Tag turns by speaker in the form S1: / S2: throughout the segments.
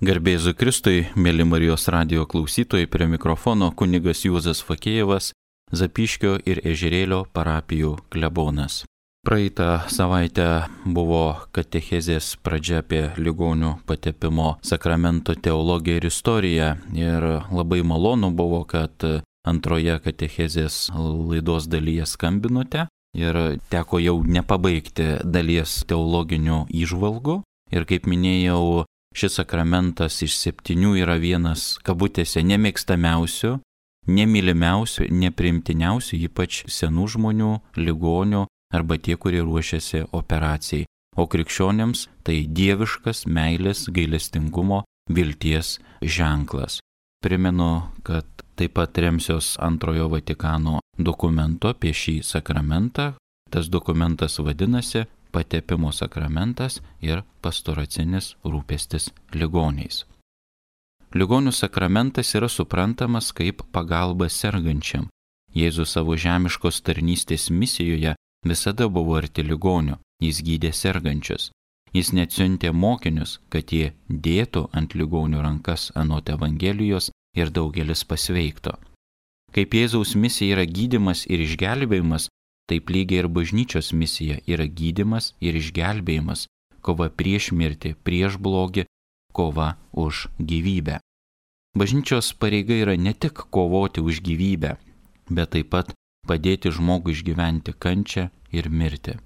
S1: Garbė Jėzui Kristui, mėly Marijos radijo klausytojai, prie mikrofono kunigas Juozas Fakėjevas, Zapyškio ir Ežerėlio parapijų klebonas. Praeitą savaitę buvo katechezės pradžia apie ligonių patepimo sakramento teologiją ir istoriją. Ir labai malonu buvo, kad antroje katechezės laidos dalyje skambinote ir teko jau nepabaigti dalies teologinių įžvalgų. Ir kaip minėjau, šis sakramentas iš 7 yra vienas, kabutėse, nemėgstamiausių, nemylimiausių, nepriimtiniausių, ypač senų žmonių, ligonių arba tie, kurie ruošiasi operacijai. O krikščionėms tai dieviškas meilės, gailestingumo, vilties ženklas. Primenu, kad taip pat remsiuos Antrojo Vatikano dokumento apie šį sakramentą. Tas dokumentas vadinasi Patepimo sakramentas ir pastoracinis rūpestis ligoniais. Ligonių sakramentas yra suprantamas kaip pagalba sergančiam. Jėzus savo žemiškos tarnystės misijoje visada buvo arti ligonių, jis gydė sergančius. Jis net siuntė mokinius, kad jie dėtų ant ligonių rankas anot Evangelijos ir daugelis pasveikto. Kaip Jėzaus misija yra gydymas ir išgelbėjimas, taip lygiai ir bažnyčios misija yra gydymas ir išgelbėjimas, kova prieš mirtį, prieš blogį, kova už gyvybę. Bažnyčios pareiga yra ne tik kovoti už gyvybę, bet taip pat padėti žmogui išgyventi kančią ir mirtį.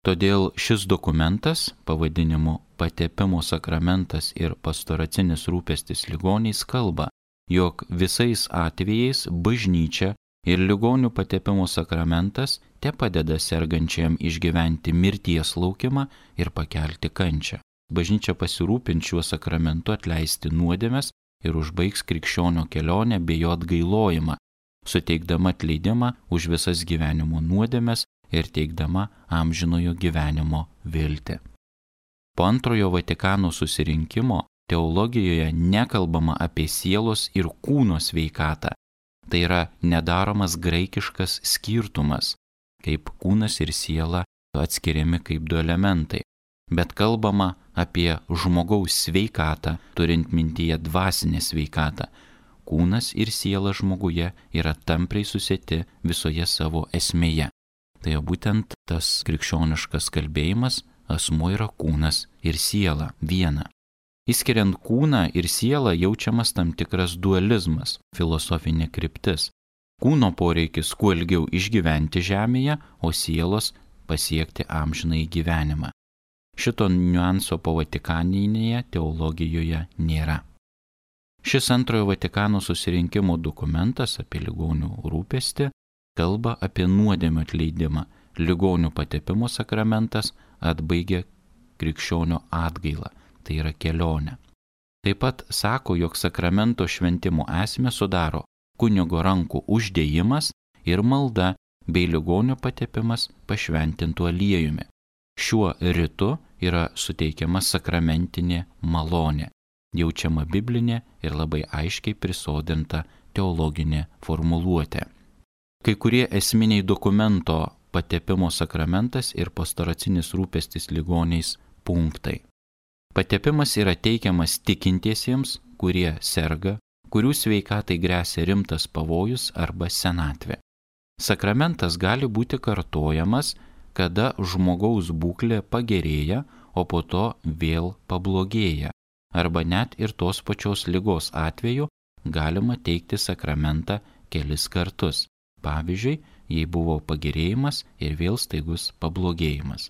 S1: Todėl šis dokumentas, pavadinimu Patepimo sakramentas ir pastoracinis rūpestis ligoniais, kalba, jog visais atvejais bažnyčia ir ligonių patepimo sakramentas te padeda sergančiam išgyventi mirties laukimą ir pakelti kančią. Bažnyčia pasirūpins šiuo sakramentu atleisti nuodėmes ir užbaigs krikščionio kelionę bei jo atgailojimą, suteikdama atleidimą už visas gyvenimo nuodėmes ir teikdama amžinojo gyvenimo viltį. Po Antrojo Vatikano susirinkimo teologijoje nekalbama apie sielos ir kūno sveikatą. Tai yra nedaromas graikiškas skirtumas, kaip kūnas ir siela atskiriami kaip du elementai, bet kalbama apie žmogaus sveikatą, turint mintyje dvasinę sveikatą. Kūnas ir siela žmoguje yra tampriai susieti visoje savo esmėje. Tai būtent tas krikščioniškas kalbėjimas, asmuo yra kūnas ir siela viena. Įskiriant kūną ir sielą jaučiamas tam tikras dualizmas, filosofinė kryptis. Kūno poreikis kuo ilgiau išgyventi žemėje, o sielos pasiekti amžinąjį gyvenimą. Šito niuanso po Vatikaninėje teologijoje nėra. Šis Antrojo Vatikano susirinkimo dokumentas apie ligonių rūpestį kalba apie nuodėmių atleidimą. Ligonių patepimo sakramentas atbaigia krikščionio atgailą. Tai yra kelionė. Taip pat sako, jog sakramento šventimo esmę sudaro kunigo rankų uždėjimas ir malda bei ligonio patepimas pašventintu aliejumi. Šiuo ritu yra suteikiama sakramentinė malonė, jaučiama biblinė ir labai aiškiai prisodinta teologinė formuluotė. Kai kurie esminiai dokumento patepimo sakramentas ir pastoracinis rūpestis ligoniais punktai. Patepimas yra teikiamas tikintiesiems, kurie serga, kurių sveikatai gresia rimtas pavojus arba senatvė. Sakramentas gali būti kartojamas, kada žmogaus būklė pagerėja, o po to vėl pablogėja, arba net ir tos pačios ligos atveju galima teikti sakramentą kelis kartus. Pavyzdžiui, jei buvo pagerėjimas ir vėl staigus pablogėjimas.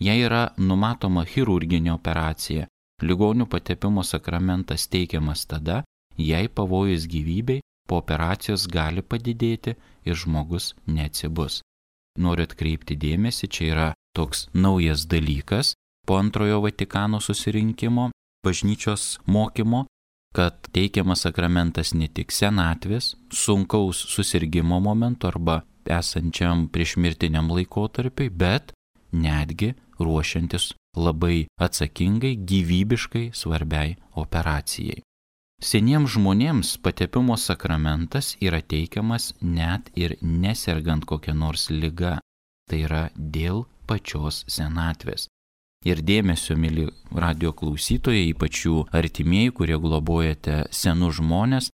S1: Jei yra numatoma chirurginė operacija, ligonių patepimo sakramentas teikiamas tada, jei pavojus gyvybei po operacijos gali padidėti ir žmogus neatsibus. Noriu atkreipti dėmesį, čia yra toks naujas dalykas po Antrojo Vatikano susirinkimo bažnyčios mokymo, kad teikiamas sakramentas ne tik senatvės, sunkaus susirgimo momentu arba esančiam priešmirtiniam laikotarpiui, bet netgi ruošiantis labai atsakingai, gyvybiškai svarbiai operacijai. Seniems žmonėms patepimo sakramentas yra teikiamas net ir nesergant kokią nors ligą, tai yra dėl pačios senatvės. Ir dėmesio, mėly radio klausytojai, ypač jų artimieji, kurie globojate senus žmonės,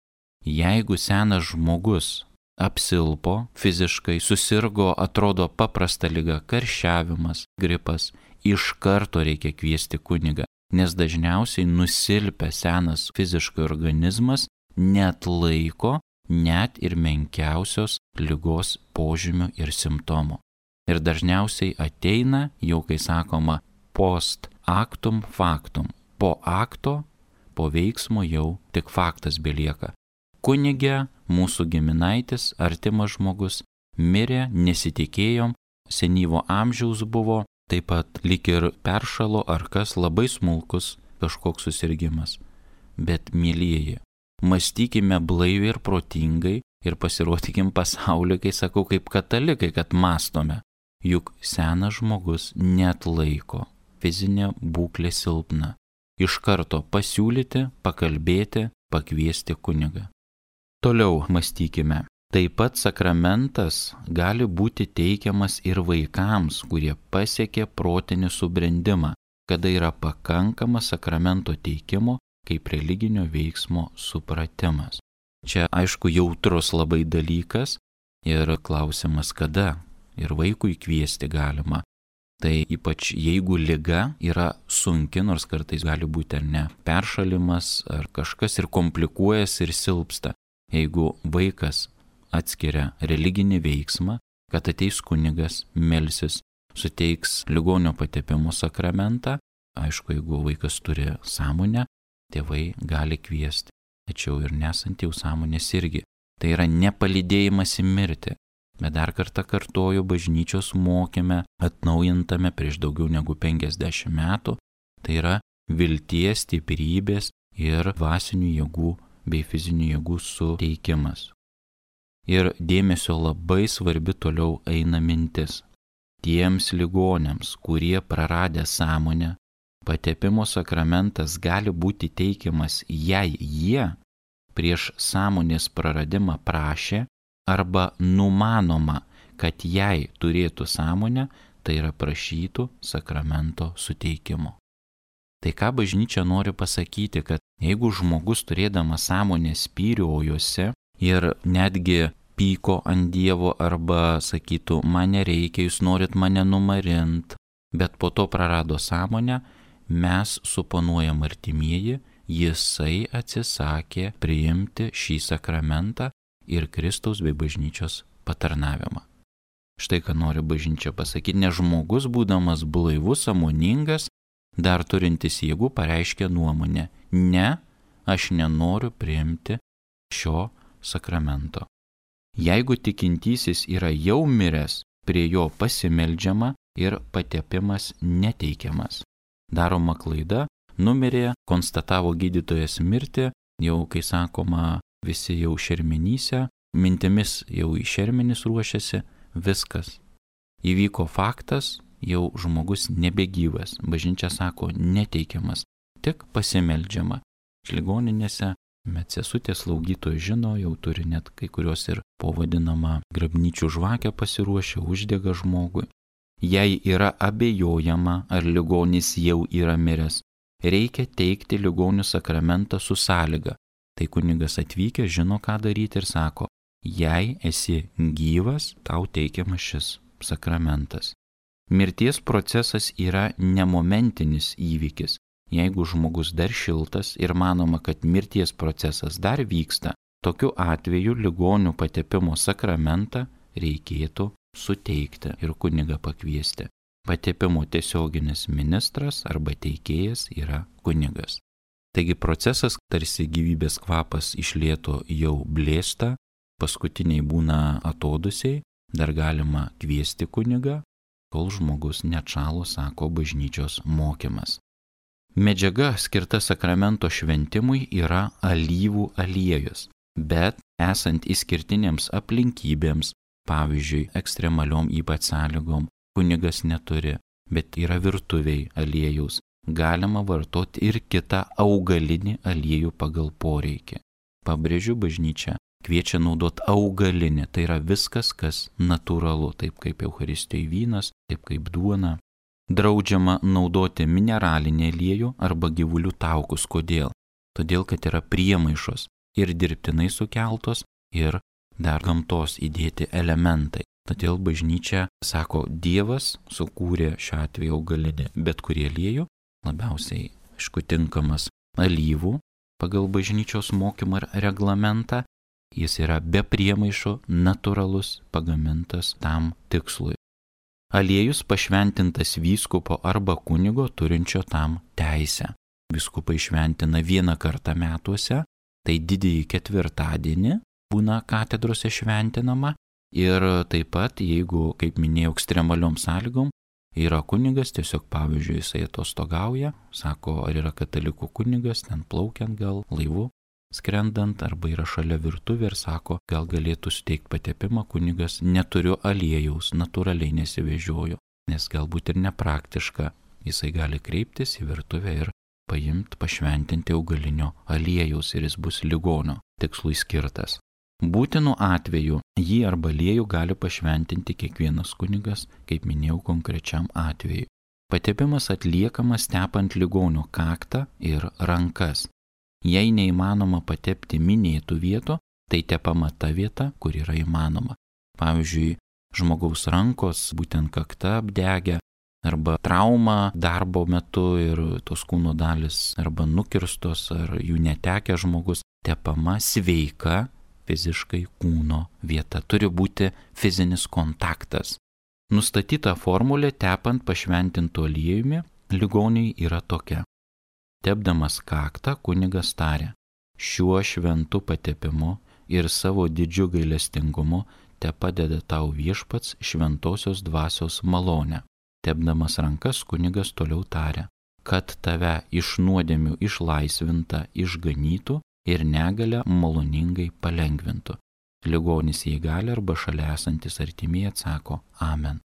S1: jeigu senas žmogus apsilpo fiziškai, susirgo, atrodo paprasta liga, karščiavimas, gripas, iš karto reikia kviesti kunigą, nes dažniausiai nusilpęs senas fiziškai organizmas neatlaiko net ir menkiausios ligos požymių ir simptomų. Ir dažniausiai ateina, jau kai sakoma, post actum factum. Po akto, po veiksmo jau tik faktas belieka. Kunigė, mūsų giminaitis, artimas žmogus, mirė, nesitikėjom, senyvo amžiaus buvo, taip pat lyg ir peršalo ar kas, labai smulkus kažkoks susirgimas. Bet, mielieji, mąstykime blaiviai ir protingai ir pasirodykim pasauliu, kai sakau, kaip katalikai, kad mąstome. Juk senas žmogus neatlaiko, fizinė būklė silpna. Iš karto pasiūlyti, pakalbėti, pakviesti kunigą. Toliau mąstykime. Taip pat sakramentas gali būti teikiamas ir vaikams, kurie pasiekė protinį subrendimą, kada yra pakankamas sakramento teikimo kaip religinio veiksmo supratimas. Čia aišku jautrus labai dalykas ir klausimas kada ir vaikui kviesti galima. Tai ypač jeigu liga yra sunki, nors kartais gali būti ar ne peršalimas ar kažkas ir komplikuojas ir silpsta. Jeigu vaikas atskiria religinį veiksmą, kad ateis kunigas, melsis, suteiks ligonio patepimo sakramentą, aišku, jeigu vaikas turi sąmonę, tėvai gali kviesti, tačiau ir nesant jau sąmonės irgi. Tai yra nepalydėjimas į mirtį. Bet dar kartą kartoju, bažnyčios mokyme, atnaujintame prieš daugiau negu 50 metų, tai yra vilties, stiprybės ir dvasinių jėgų bei fizinių jėgų suteikimas. Ir dėmesio labai svarbi toliau eina mintis. Tiems ligoniams, kurie praradę sąmonę, patepimo sakramentas gali būti teikiamas, jei jie prieš sąmonės praradimą prašė arba numanoma, kad jei turėtų sąmonę, tai yra prašytų sakramento suteikimo. Tai ką bažnyčia nori pasakyti, kad jeigu žmogus turėdamas sąmonės spyriojosi ir netgi pyko ant Dievo arba sakytų, man nereikia, jūs norit mane numarint, bet po to prarado sąmonę, mes suponuojam artimieji, jisai atsisakė priimti šį sakramentą ir Kristaus bei bažnyčios patarnavimą. Štai ką nori bažnyčia pasakyti, nes žmogus, būdamas blaivus, sąmoningas, dar turintis jėgų, pareiškė nuomonę, ne, aš nenoriu priimti šio sakramento. Jeigu tikintysis yra jau miręs, prie jo pasimeldžiama ir patepimas neteikiamas. Daroma klaida, numirė, konstatavo gydytojas mirtį, jau, kai sakoma, visi jau šermenyse, mintimis jau į šermenis ruošiasi, viskas. Įvyko faktas, jau žmogus nebegyvas, bažnyčia sako neteikiamas, tik pasimeldžiama. Ligoninėse medsesutės slaugytojai žino, jau turi net kai kurios ir pavadinama grabnyčių žvakę pasiruošę, uždega žmogui. Jei yra abejojama, ar ligonis jau yra miręs, reikia teikti ligonių sakramentą su sąlyga. Tai kunigas atvykęs žino, ką daryti ir sako, jei esi gyvas, tau teikiamas šis sakramentas. Mirties procesas yra nemomentinis įvykis. Jeigu žmogus dar šiltas ir manoma, kad mirties procesas dar vyksta, tokiu atveju ligonių patepimo sakramentą reikėtų suteikti ir kunigą pakviesti. Patepimo tiesioginis ministras arba teikėjas yra kunigas. Taigi procesas tarsi gyvybės kvapas iš lėto jau blėsta, paskutiniai būna atodusiai, dar galima kviesti kunigą, kol žmogus neatšalo, sako bažnyčios mokymas. Medžiaga skirta sakramento šventimui yra alyvų aliejus, bet esant išskirtinėms aplinkybėms, pavyzdžiui, ekstremaliom ypač sąlygom, kunigas neturi, bet yra virtuviai aliejaus, galima vartoti ir kitą augalinį aliejų pagal poreikį. Pabrėžiu, bažnyčia kviečia naudoti augalinį, tai yra viskas, kas natūralu, taip kaip Eucharistijoje vynas, taip kaip duona. Draudžiama naudoti mineralinį aliejų arba gyvulių taukus. Kodėl? Todėl, kad yra priemaišos ir dirbtinai sukeltos, ir dar gamtos įdėti elementai. Todėl bažnyčia sako, Dievas sukūrė šiuo atveju augalinį bet kurį aliejų, labiausiai, aišku, tinkamas alyvų pagal bažnyčios mokymą ir reglamentą. Jis yra be priemaišų, natūralus, pagamintas tam tikslui. Aliejus pašventintas vyskupo arba kunigo turinčio tam teisę. Vyskupai šventina vieną kartą metuose, tai didįjį ketvirtadienį būna katedrose šventinama. Ir taip pat, jeigu, kaip minėjau, ekstremaliom sąlygom, yra kunigas, tiesiog pavyzdžiui, jisai atostogauja, sako, ar yra katalikų kunigas, ten plaukiant gal laivu, skrendant, arba yra šalia virtuvė ir sako, gal galėtų suteikti patepimą, kunigas, neturiu aliejaus, natūraliai nesivežioju, nes galbūt ir nepraktiška, jisai gali kreiptis į virtuvę ir paimti, pašventinti augalinio aliejaus ir jis bus ligonio tikslui skirtas. Būtinu atveju jį arba aliejų gali pašventinti kiekvienas kunigas, kaip minėjau, konkrečiam atveju. Patepimas atliekamas tepant ligonio kaktą ir rankas. Jei neįmanoma patepti minėtų vietų, tai tepama ta vieta, kur yra įmanoma. Pavyzdžiui, žmogaus rankos, būtent kakta apdegę, arba trauma darbo metu ir tos kūno dalis arba nukirstos, ar jų netekę žmogus, tepama sveika fiziškai kūno vieta. Turi būti fizinis kontaktas. Nustatyta formulė tepant pašventintu aliejumi ligoniui yra tokia. Tepdamas kaktą kunigas tarė, šiuo šventu patepimu ir savo didžiu gailestingumu tepadeda tau viešpats šventosios dvasios malonę. Tepdamas rankas kunigas toliau tarė, kad tave iš nuodėmių išlaisvinta išganytų ir negalę maloningai palengvintų. Ligonis jei gali arba šalia esantis artimieji atsako Amen.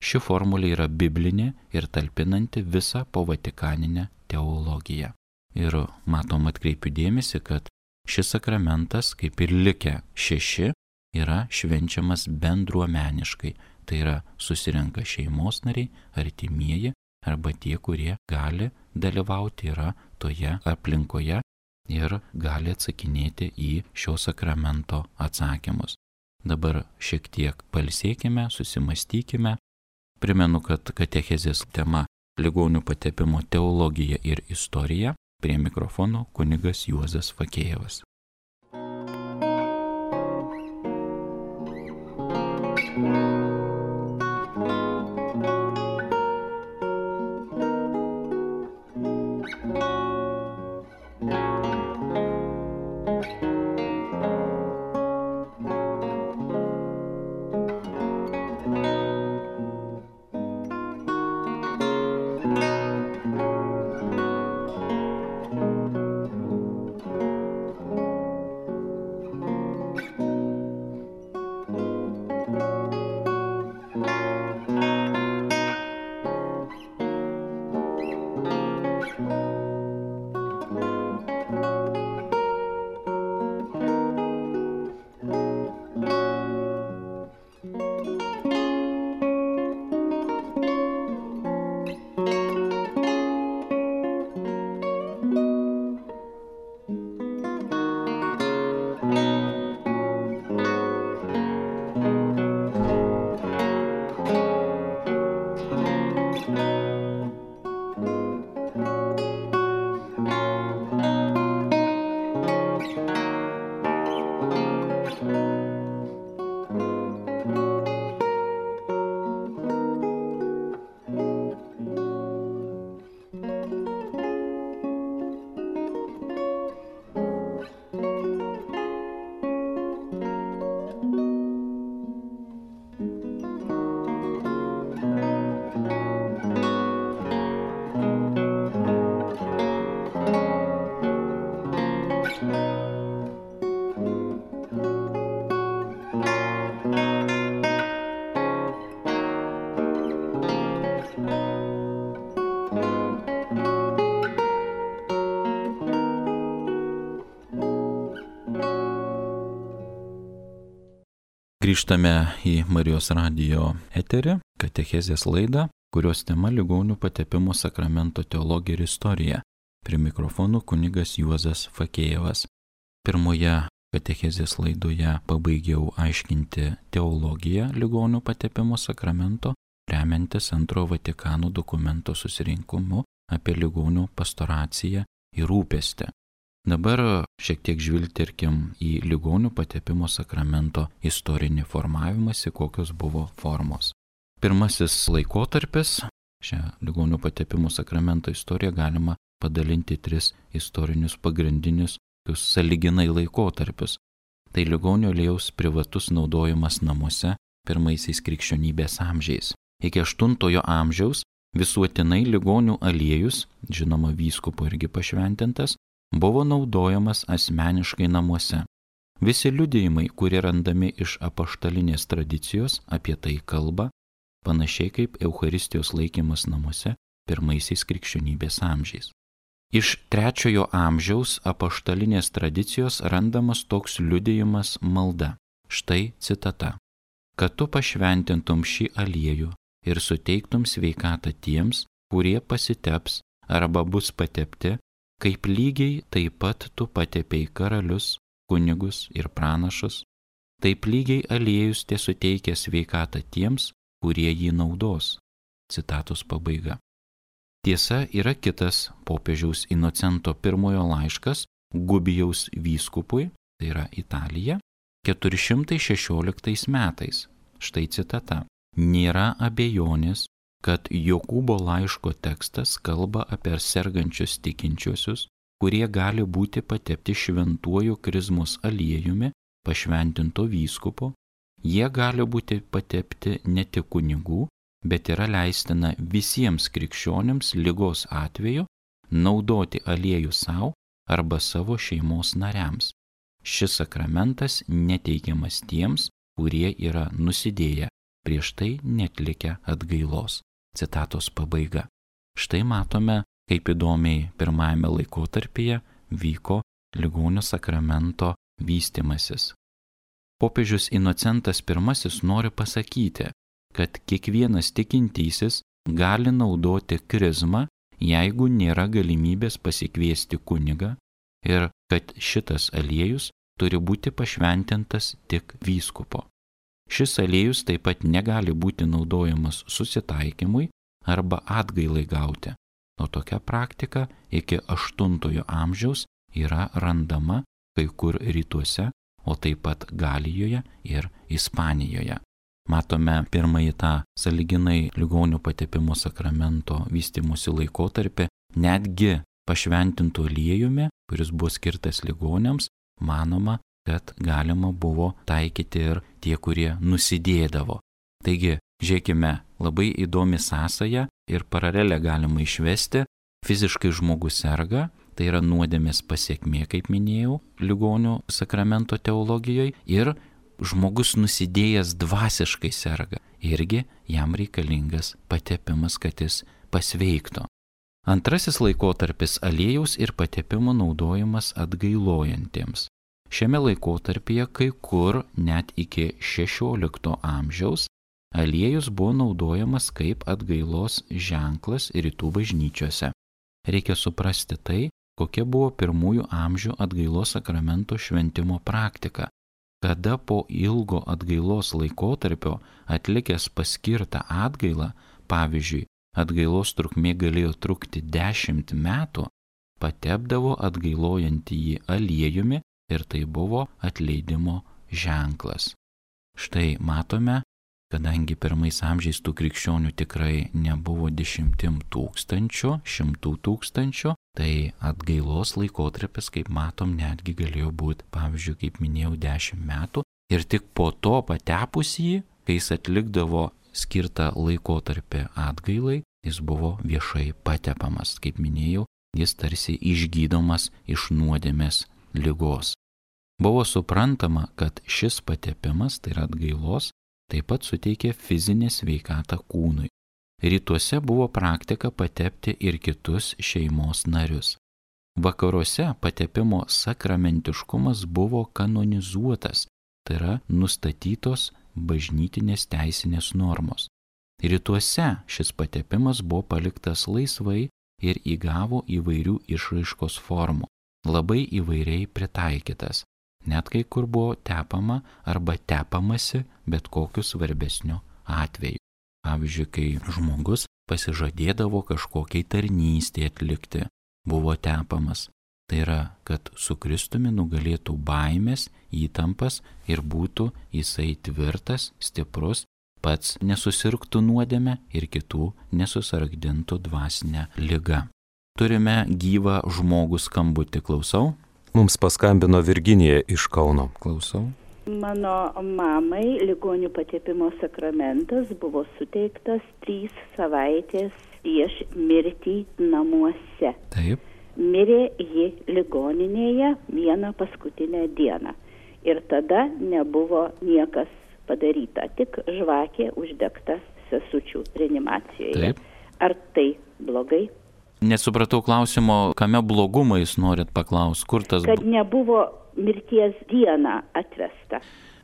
S1: Ši formulė yra biblinė ir talpinanti visą povatikaninę teologiją. Ir matom, atkreipiu dėmesį, kad šis sakramentas, kaip ir likę 6, yra švenčiamas bendruomeniškai. Tai yra susirenka šeimos nariai, artimieji arba tie, kurie gali dalyvauti, yra toje aplinkoje ir gali atsakinėti į šio sakramento atsakymus. Dabar šiek tiek pailsėkime, susimastykime. Primenu, kad katechezės tema ligonių patepimo teologija ir istorija. Prie mikrofono kunigas Juozas Fakėjevas. Grįžtame į Marijos radijo eterį, katechezės laidą. kurios tema ligonių patepimo sakramento teologija ir istorija. Prie mikrofonų kunigas Juozas Fakėjevas. Pirmoje katechezės laidoje pabaigiau aiškinti teologiją ligonių patepimo sakramento, remiantis Antrojo Vatikano dokumento susirinkimu apie ligonių pastoraciją ir rūpestį. Dabar šiek tiek žvilgterkim į ligonių patepimo sakramento istorinį formavimąsi, kokios buvo formos. Pirmasis laikotarpis, šią ligonių patepimo sakramento istoriją galima padalinti į 3 istorinius pagrindinius sąlyginai laikotarpius. Tai ligonio aliejaus privatus naudojimas namuose pirmaisiais krikščionybės amžiais. Iki 8 amžiaus visuotinai ligonių aliejus, žinoma vyskupo irgi pašventintas, buvo naudojamas asmeniškai namuose. Visi liudijimai, kurie randami iš apaštalinės tradicijos, apie tai kalba, panašiai kaip Eucharistijos laikymas namuose pirmaisiais krikščionybės amžiais. Iš 3 amžiaus apaštalinės tradicijos randamas toks liudijimas malda. Štai citata. Kad tu pašventintum šį aliejų ir suteiktum sveikatą tiems, kurie pasiteps arba bus patepti, kaip lygiai taip pat tu patepei karalius, kunigus ir pranašus, taip lygiai aliejus te suteikia sveikatą tiems, kurie jį naudos. Citatos pabaiga. Tiesa, yra kitas popiežiaus Inocento I laiškas Gubijaus vyskupui, tai yra Italija, 416 metais. Štai citata. Nėra abejonės, kad Jokūbo laiško tekstas kalba apie sergančius tikinčiuosius, kurie gali būti patepti šventuoju krizmos aliejumi pašventinto vyskupo. Jie gali būti patepti ne tik kunigų, bet yra leistina visiems krikščionims ligos atveju naudoti aliejų savo arba savo šeimos nariams. Šis sakramentas neteikiamas tiems, kurie yra nusidėję, prieš tai netlikę atgailos. Citatos pabaiga. Štai matome, kaip įdomiai pirmajame laikotarpyje vyko ligonių sakramento vystymasis. Popiežius Inocentas I nori pasakyti, kad kiekvienas tikintysis gali naudoti krizmą, jeigu nėra galimybės pasikviesti kunigą ir kad šitas aliejus turi būti pašventintas tik vyskupo. Šis aliejus taip pat negali būti naudojamas susitaikymui arba atgailai gauti, o tokia praktika iki 8 amžiaus yra randama kai kur rytuose, o taip pat Galijoje ir Ispanijoje. Matome pirmąjį tą sąlyginai ligonių patepimo sakramento vystymosi laikotarpį, netgi pašventintų aliejumi, kuris buvo skirtas ligoniams, manoma, kad galima buvo taikyti ir tie, kurie nusidėdavo. Taigi, žiūrėkime, labai įdomi sąsaja ir paralelę galima išvesti. Fiziškai žmogus serga, tai yra nuodėmės pasekmė, kaip minėjau, ligonių sakramento teologijoje, ir žmogus nusidėjęs dvasiškai serga. Irgi jam reikalingas patepimas, kad jis pasveiktų. Antrasis laikotarpis - aliejaus ir patepimo naudojimas atgailojantiems. Šiame laikotarpyje kai kur net iki 16 amžiaus aliejus buvo naudojamas kaip atgailos ženklas rytų bažnyčiose. Reikia suprasti tai, kokia buvo pirmųjų amžių atgailos sakramento šventimo praktika, kada po ilgo atgailos laikotarpio atlikęs paskirtą atgailą, pavyzdžiui, atgailos trukmė galėjo trukti 10 metų, patepdavo atgailojantįjį aliejumi ir tai buvo atleidimo ženklas. Štai matome, kadangi pirmais amžiais tų krikščionių tikrai nebuvo 10 tūkstančių, 100 tūkstančių, tai atgailos laikotarpis, kaip matom, netgi galėjo būti, pavyzdžiui, kaip minėjau, 10 metų. Ir tik po to patepus jį, kai jis atlikdavo skirtą laikotarpį atgailai, jis buvo viešai patepamas. Kaip minėjau, jis tarsi išgydomas iš nuodėmės ligos. Buvo suprantama, kad šis patepimas, tai yra atgailos, taip pat suteikė fizinę sveikatą kūnui. Rytuose buvo praktika patepti ir kitus šeimos narius. Vakaruose patepimo sakramentiškumas buvo kanonizuotas, tai yra nustatytos bažnytinės teisinės normos. Rytuose šis patepimas buvo paliktas laisvai ir įgavo įvairių išraiškos formų, labai įvairiai pritaikytas, net kai kur buvo tepama arba tepamasi bet kokiu svarbesniu atveju. Pavyzdžiui, kai žmogus pasižadėdavo kažkokiai tarnystė atlikti, buvo tepamas. Tai yra, kad su Kristumi nugalėtų baimės, įtampas ir būtų jisai tvirtas, stiprus, pats nesusirgtų nuodėme ir kitų nesusargdintų dvasinę ligą. Turime gyvą žmogų skambutį, klausau.
S2: Mums paskambino Virginija iš Kauno.
S1: Klausau.
S3: Mano mamai ligonių patepimo sakramentas buvo suteiktas 3 savaitės prieš mirtį namuose.
S1: Taip.
S3: Mirė ji ligoninėje vieną paskutinę dieną. Ir tada nebuvo niekas padaryta, tik žvakė uždegta sesučių reanimacijoje.
S1: Taip.
S3: Ar tai blogai?
S1: Nesupratau klausimo, kame blogumą jūs norit paklausti, kur tas...
S3: Kad nebuvo mirties dieną atvesta.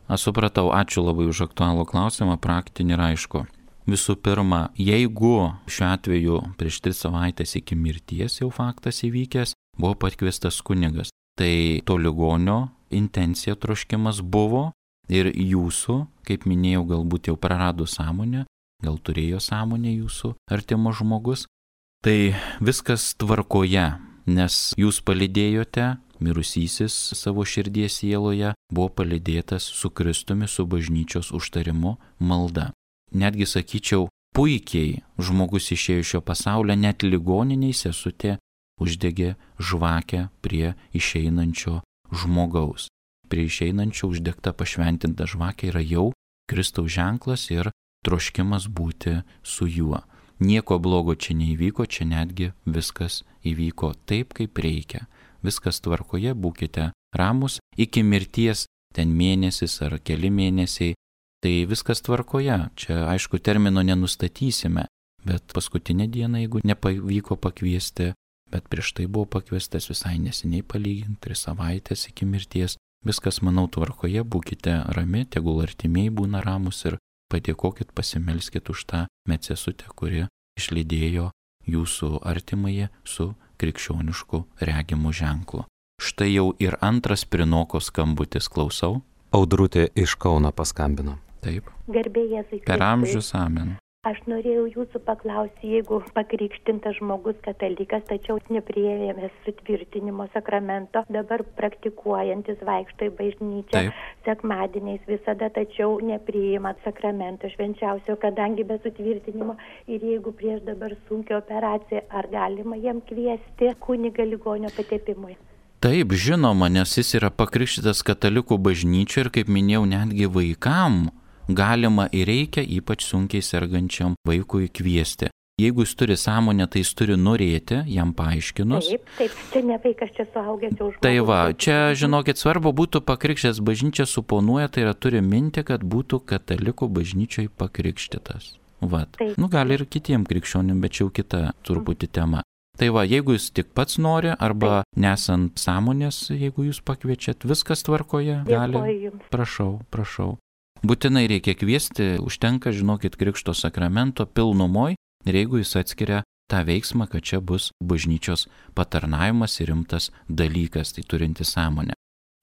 S1: Aš supratau, ačiū labai už aktualų klausimą, praktinį ir aišku. Visų pirma, jeigu šiuo atveju prieš 3 savaitės iki mirties jau faktas įvykęs, buvo pakviestas kunigas, tai to ligonio intencija, troškimas buvo ir jūsų, kaip minėjau, galbūt jau prarado sąmonę, gal turėjo sąmonę jūsų artimas žmogus, tai viskas tvarkoje, nes jūs palydėjote, mirusysis savo širdies sieloje buvo palydėtas su Kristumi, su bažnyčios užtarimu, malda. Netgi sakyčiau, puikiai žmogus išėjo iš šio pasaulio, net ligoniniai sesutė uždegė žvakę prie išeinančio žmogaus. Prie išeinančio uždegta pašventinta žvakė yra jau Kristaus ženklas ir troškimas būti su juo. Nieko blogo čia neįvyko, čia netgi viskas įvyko taip, kaip reikia. Viskas tvarkoje, būkite ramus, iki mirties ten mėnesis ar keli mėnesiai, tai viskas tvarkoje. Čia aišku termino nenustatysime, bet paskutinę dieną, jeigu nepavyko pakviesti, bet prieš tai buvo pakviestas visai neseniai palyginti 3 savaitės iki mirties, viskas, manau, tvarkoje, būkite rami, tegul artimieji būna ramus ir padėkokit, pasimelskit už tą medsesutę, kuri išlydėjo jūsų artimąjį su krikščionišku regimu ženklu. Štai jau ir antras prinoko skambutis, klausau.
S2: Audrutė iš Kauno paskambino.
S1: Taip.
S4: Garbė Jėzui Kristui.
S1: Per amžius, amen.
S4: Aš norėjau jūsų paklausti, jeigu pakrikštintas žmogus katalikas, tačiau nepriėmęs sutvirtinimo sakramento, dabar praktikuojantis vaikšto į bažnyčią sekmadieniais visada, tačiau nepriima sakramento švenčiausio, kadangi be sutvirtinimo ir jeigu prieš dabar sunkią operaciją, ar galima jam kviesti kunigą ligonio patepimui?
S1: Taip, žinoma, nes jis yra pakrikštytas katalikų bažnyčioje ir, kaip minėjau, netgi vaikam galima ir reikia ypač sunkiai sergančiam vaikui kviesti. Jeigu jis turi sąmonę, tai jis turi norėti, jam paaiškinus.
S4: Taip, čia ne vaikas, čia suaugęs jau žmogus.
S1: Tai va, čia, žinokit, svarbu būtų pakrikštęs, bažnyčia suponuoja, tai yra turi minti, kad būtų katalikų bažnyčiai pakrikštytas. Vat. Gali ir kitiem krikščionim, bet čia jau kita truputį tema. Tai va, jeigu jis tik pats nori, arba nesant sąmonės, jeigu jūs pakviečiat, viskas tvarkoje, gali. Prašau. Būtinai reikia kviesti, užtenka, žinokit, krikšto sakramento pilnumoj ir jeigu jis atskiria tą veiksmą, kad čia bus bažnyčios patarnavimas ir rimtas dalykas, tai turinti sąmonę.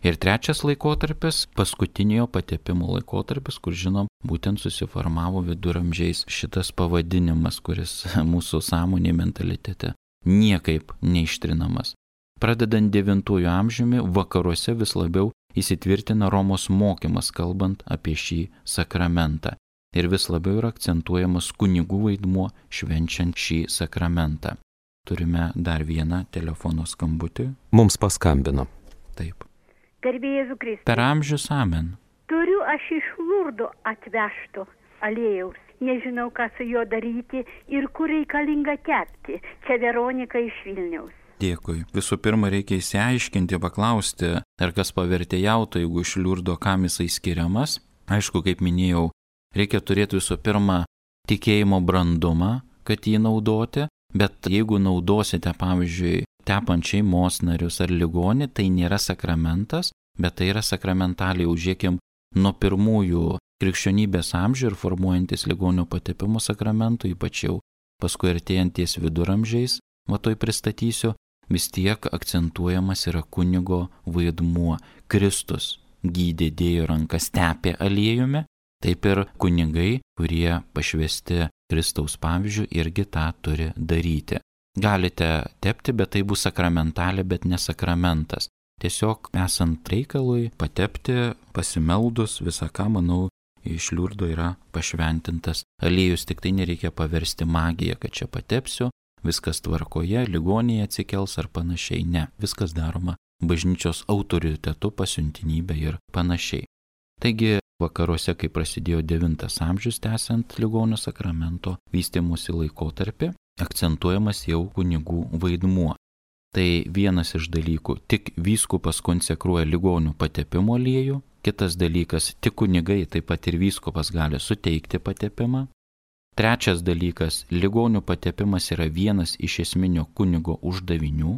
S1: Ir trečias laikotarpis, paskutinio patepimo laikotarpis, kur žinom, būtent susiformavo viduramžiais šitas pavadinimas, kuris mūsų sąmonė mentalitete niekaip neištrinamas. Pradedant 9 amžiumi, vakaruose vis labiau įsitvirtina Romos mokymas, kalbant apie šį sakramentą. Ir vis labiau yra akcentuojamas kunigų vaidmuo švenčiant šį sakramentą. Turime dar vieną telefono skambutį.
S2: Mums paskambino.
S1: Taip.
S5: Garbė Jėzui Kristui.
S1: Per amžius, amen.
S5: Turiu aš iš Lurdo atvežto aliejaus. Nežinau, ką su juo daryti ir kur reikalinga tepti. Čia Veronika iš Vilniaus.
S1: Dėkui. Visų pirma, reikia įsiaiškinti, paklausti, ar kas pavertėjautų, jeigu iš Liurdo kam jisai skiriamas. Aišku, kaip minėjau, reikia turėti visų pirma tikėjimo brandumą, kad jį naudoti, bet jeigu naudosite, pavyzdžiui, tepant šeimos narius ar ligonį, tai nėra sakramentas, bet tai yra sakramentaliai, užėkim, nuo pirmųjų krikščionybės amžių ir formuojantis ligonių patepimo sakramentų, ypač jau paskui artėjanties viduramžiais, toj pristatysiu, vis tiek akcentuojamas yra kunigo vaidmuo. Kristus gydė, dėjo rankas, tepė aliejumi, taip ir kunigai, kurie pašvesti Kristaus pavyzdžių, irgi tą turi daryti. Galite tepti, bet tai bus sakramentalė, bet ne sakramentas. Tiesiog esant reikalui patepti, pasimeldus, visą ką, manau, iš Liurdo yra pašventintas aliejus, tik tai nereikia paversti magiją, kad čia patepsiu, viskas tvarkoje, ligoniai atsikels ar panašiai. Ne, viskas daroma bažnyčios autoritetu, pasiuntinybė ir panašiai. Taigi vakaruose, kai prasidėjo 9 amžius, tęsiant ligonio sakramento vystymosi laikotarpį, akcentuojamas jau kunigų vaidmuo. Tai vienas iš dalykų, tik vyskupas konsekruoja ligonių patepimo aliejų, kitas dalykas, tik kunigai, taip pat ir vyskupas gali suteikti patepimą. Trečias dalykas, ligonių patepimas yra vienas iš esminio kunigo uždavinių.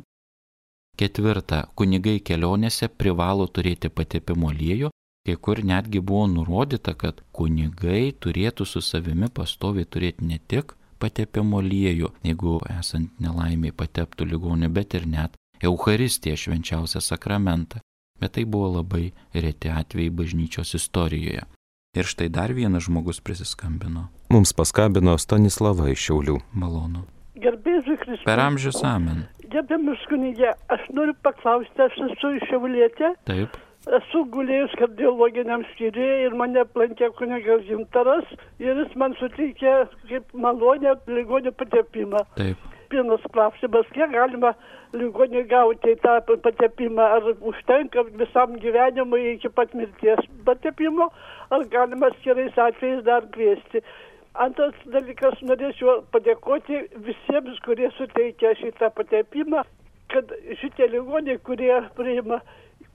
S1: Ketvirta, kunigai kelionėse privalo turėti patepimo aliejų, kai kur netgi buvo nurodyta, kad kunigai turėtų su savimi pastoviai turėti ne tik patepimo aliejų, jeigu esant nelaimiai pateptų ligonį, bet ir net Eucharistiją, švenčiausią sakramentą. Bet tai buvo labai reti atvejai bažnyčios istorijoje. Ir štai dar vienas žmogus prisiskambino.
S2: Mums paskambino Stanislava iš Šiaulių.
S1: Malonu.
S6: Garbėsiu Kristų.
S1: Per amžius amen.
S6: Gerbiamas kunige, aš noriu paklausti, aš esu iš Šiaulietė.
S1: Taip.
S6: Esu gulėjus kardiologiniam skyriuje ir mane aplankė kunigas Gintaras ir jis man suteikė kaip malonę ligonių patepimą.
S1: Taip.
S6: Pirmas klausimas, kiek galima ligoniui gauti tą patepimą, ar užtenka visam gyvenimui iki pat mirties patepimo, ar galima atskirais atvejais dar kviesti. Antras dalykas, norėčiau padėkoti visiems, kurie suteikia šitą patepimą, kad šitie ligoniai, kurie priima,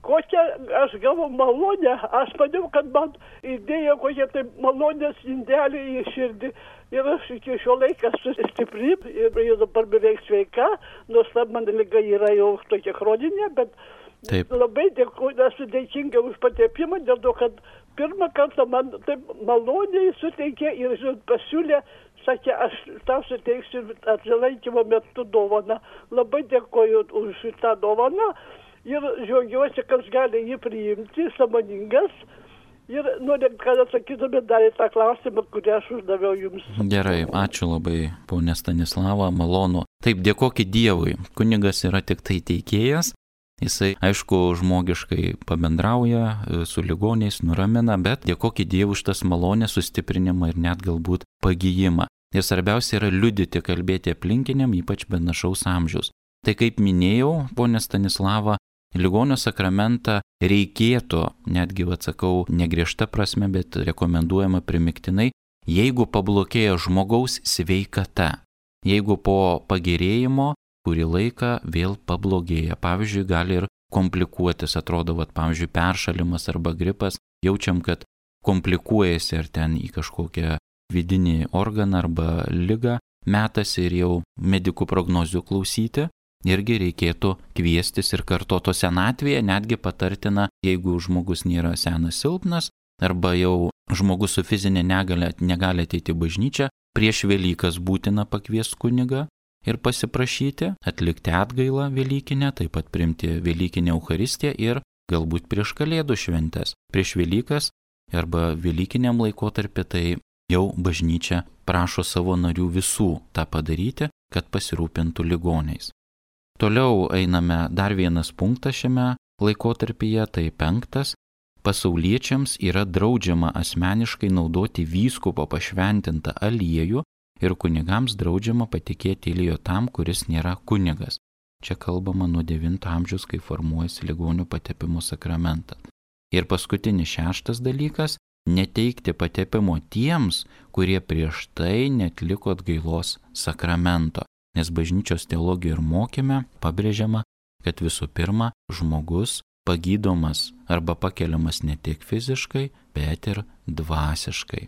S6: kokią aš gavau malonę, aš maniau, kad man įdėjo kokią tai malonės indelį į širdį. Ir aš iki šio laiką esu stipri ir dabar beveik sveika, nors man liga yra jau tokia chroninė, bet
S1: Taip.
S6: Labai dėkuoju, esu dėkinga už patepimą, dėl to, kad pirmą kartą man taip maloniai suteikė ir pasiūlė, sakė, aš tau suteiksiu apsilankymo metu dovaną. Labai dėkuoju už šitą dovaną ir džiaugiuosi, kad gali jį priimti, sąmoningas. Ir noriu, kad atsakytumėt dar į tą klausimą, kurį aš uždaviau jums.
S1: Gerai, ačiū labai, ponė Stanislava, malonu. Taip, dėkokit Dievui. Kunigas yra tik tai teikėjas. Jisai, aišku, žmogiškai pabendrauja su ligoniais, nuramina, bet dėkokit Dievui už tas malonę, sustiprinimą ir net galbūt pagijimą. Ir svarbiausia yra liudyti, kalbėti aplinkiniam, ypač benašaus amžiaus. Tai kaip minėjau, ponė Stanislava, ligonio sakramentą reikėtų, netgi atsakau, negriežta prasme, bet rekomenduojama primiktinai, jeigu pablogėja žmogaus sveikata. Jeigu po pagerėjimo kurį laiką vėl pablogėja. Pavyzdžiui, gali ir komplikuotis, atrodo, pavyzdžiui, peršalimas arba gripas, jaučiam, kad komplikuojasi ar ten į kažkokią vidinį organą arba ligą metasi ir jau medikų prognozių klausyti. Irgi reikėtų kviestis ir kartoto senatvėje, netgi patartina, jeigu žmogus nėra senas silpnas, arba jau žmogus su fizinė negalia negali ateiti į bažnyčią, prieš Velykas būtina pakviesti kunigą ir pasiprašyti, atlikti atgailą Velykinę, taip pat priimti Velykinę Eucharistiją ir galbūt prieš Kalėdų šventes. Prieš Velykas arba Velykiniam laikotarpį tai jau bažnyčia prašo savo narių visų tą padaryti, kad pasirūpintų ligoniais. Toliau einame dar vienas punktas šiame laikotarpyje, tai 5. Pasauliečiams yra draudžiama asmeniškai naudoti vyskupo pašventintą aliejų ir kunigams draudžiama patikėti aliejų tam, kuris nėra kunigas. Čia kalbama nuo 9 amžiaus, kai formuojasi ligonių patepimo sakramentas. Ir paskutinis 6 dalykas – neteikti patepimo tiems, kurie prieš tai neatliko atgailos sakramento. Nes bažnyčios teologijoje ir mokyme pabrėžiama, kad visų pirma žmogus pagydomas arba pakeliamas ne tik fiziškai, bet ir dvasiškai.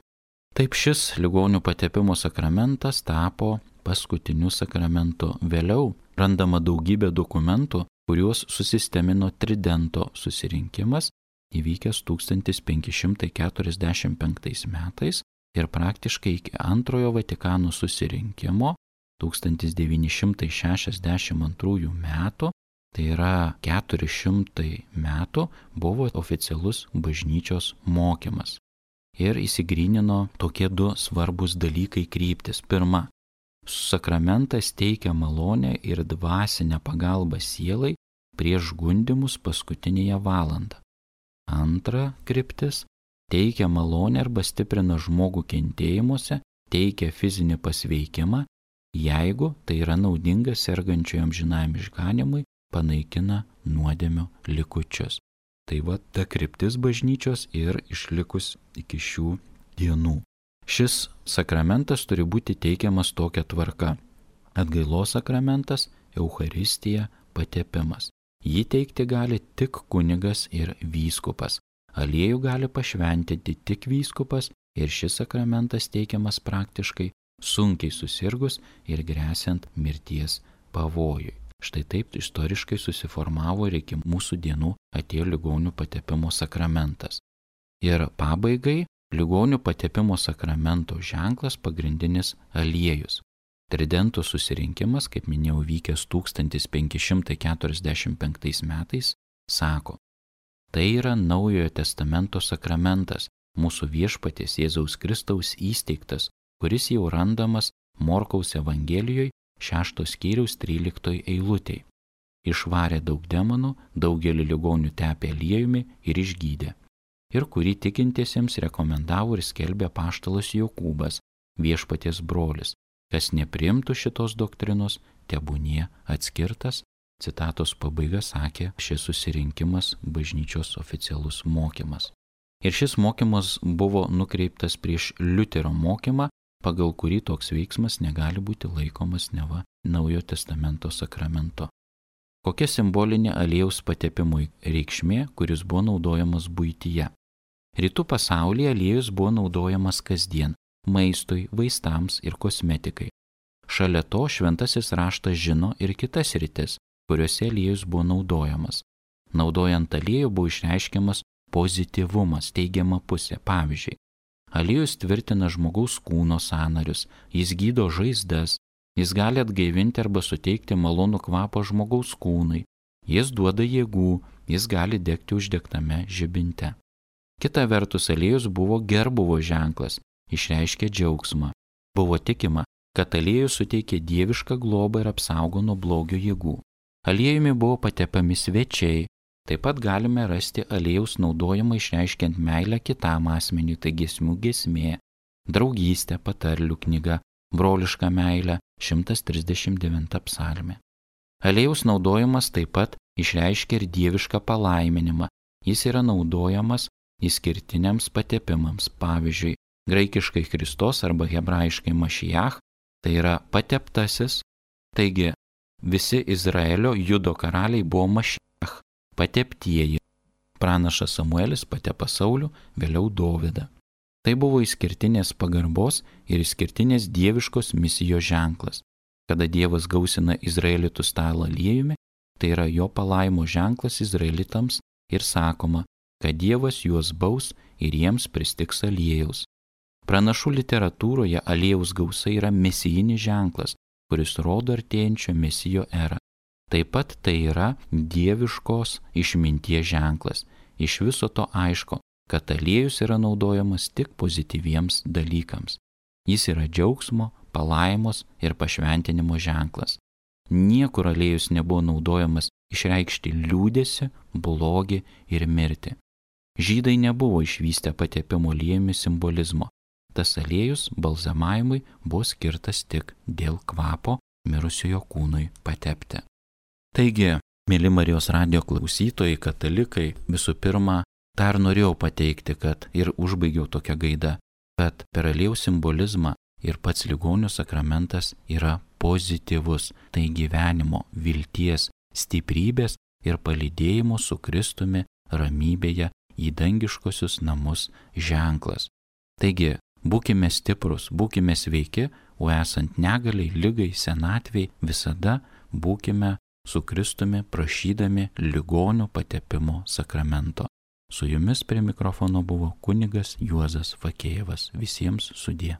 S1: Taip šis ligonių patepimo sakramentas tapo paskutiniu sakramentu. Vėliau randama daugybė dokumentų, kuriuos susistemino Tridento susirinkimas įvykęs 1545 metais ir praktiškai iki antrojo Vatikano susirinkimo 1962 metų, tai yra 400 metų, buvo oficialus bažnyčios mokymas. Ir įsigrynino tokie du svarbus dalykai kryptis. Pirma, sakramentas teikia malonę ir dvasinę pagalbą sielai prieš gundymus paskutinėje valandą. Antra kryptis, teikia malonę arba stiprina žmogų kentėjimuose, teikia fizinį pasveikimą, jeigu tai yra naudinga sergančiojo amžinajam išganymui, panaikina nuodėmių likučius. Tai va ta kryptis bažnyčios ir išlikus iki šių dienų. Šis sakramentas turi būti teikiamas tokia tvarka. Atgailos sakramentas, Eucharistija, patepimas. Jį teikti gali tik kunigas ir vyskupas. Aliejų gali pašventinti tik vyskupas ir šis sakramentas teikiamas praktiškai sunkiai susirgus ir gresiant mirties pavojui. Štai taip istoriškai susiformavo ir iki mūsų dienų atėjo ligonių patepimo sakramentas. Ir pabaigai ligonių patepimo sakramento ženklas pagrindinis aliejus. Tridento susirinkimas, kaip minėjau, vykęs 1545 metais, sako, tai yra Naujojo testamento sakramentas, mūsų viešpaties Jėzaus Kristaus įsteigtas, kuris jau randamas Morkaus Evangelijoje 6 skyriaus 13 eilutėje. Išvarė daug demonų, daugelį ligonių tepė aliejumi ir išgydė. Ir kurį tikintiesiems rekomendavo ir skelbė apaštalas Jokūbas, viešpaties brolis. Kas nepriimtų šitos doktrinos, tebūnie atskirtas. Citatos pabaiga sakė šis susirinkimas bažnyčios oficialus mokymas. Ir šis mokymas buvo nukreiptas prieš Liuterio mokymą, pagal kurį toks veiksmas negali būti laikomas neva Naujojo testamento sakramento. Kokia simbolinė aliejaus patepimui reikšmė, kuris buvo naudojamas buityje? Rytų pasaulyje aliejus buvo naudojamas kasdien maistui, vaistams ir kosmetikai. Šalia to šventasis raštas žino ir kitas sritis, kuriuose aliejus buvo naudojamas. Naudojant aliejų buvo išreiškiamas pozityvumas, teigiama pusė. Pavyzdžiui, aliejus tvirtina žmogaus kūno sąnarius, jis gydo žaizdas, jis gali atgaivinti arba suteikti malonų kvapą žmogaus kūnui, jis duoda jėgų, jis gali degti uždegtame žibinte. Kita vertus, aliejus buvo gerbuvo ženklas, išreiškė džiaugsmą. Buvo tikima, kad aliejus suteikė dievišką globą ir apsaugo nuo blogio jėgų. Aliejumi buvo patepami svečiai. Taip pat galime rasti aliejaus naudojimą išreiškiant meilę kitam asmeniui, tai giesmių giesmė, draugystė, patarlių knyga, broliška meilė, 139 psalmė. Aliejaus naudojimas taip pat išreiškia ir dievišką palaiminimą. Jis yra naudojamas išskirtiniams patepimams, pavyzdžiui, graikiškai Kristos arba hebrajiškai Mašiach, tai yra pateptasis, taigi visi Izraelio judo karaliai buvo Mašiach, pateptieji. Pranašas Samuelis patepa Saulių, vėliau Dovydą. Tai buvo išskirtinės pagarbos ir išskirtinės dieviškos misijos ženklas. Kada Dievas gausina izraelitų stalą aliejumi, tai yra jo palaimo ženklas izraelitams ir sakoma, kad Dievas juos baus ir jiems pristigs aliejaus. Pranašų literatūroje aliejaus gausa yra mesijinis ženklas, kuris rodo artėjančio mesijo erą. Taip pat tai yra dieviškos išminties ženklas. Iš viso to aišku, kad aliejus yra naudojamas tik pozityviems dalykams. Jis yra džiaugsmo, palaimos ir pašventinimo ženklas. Niekur aliejus nebuvo naudojamas išreikšti liūdėsi, blogį ir mirtį. Žydai nebuvo išvystę patepimo aliejumi simbolizmo. Tas aliejus balzamavimui buvo skirtas tik dėl kvapo mirusiojo kūnui patepti. Taigi, mėly Marijos radijo klausytojai, katalikai, visų pirma, dar norėjau pateikti, kad ir užbaigiau tokią gaidą, kad per aliejaus simbolizmą ir pats ligonių sakramentas yra pozityvus, tai gyvenimo, vilties, stiprybės ir palydėjimo su Kristumi ramybėje į dangiškosius namus ženklas. Taigi, būkime stiprus, būkime sveiki, o esant negaliai, ligai, senatviai, visada būkime su Kristumi prašydami ligonių patepimo sakramento. Su jumis prie mikrofono buvo kunigas Juozas Fakėjevas. Visiems sudie.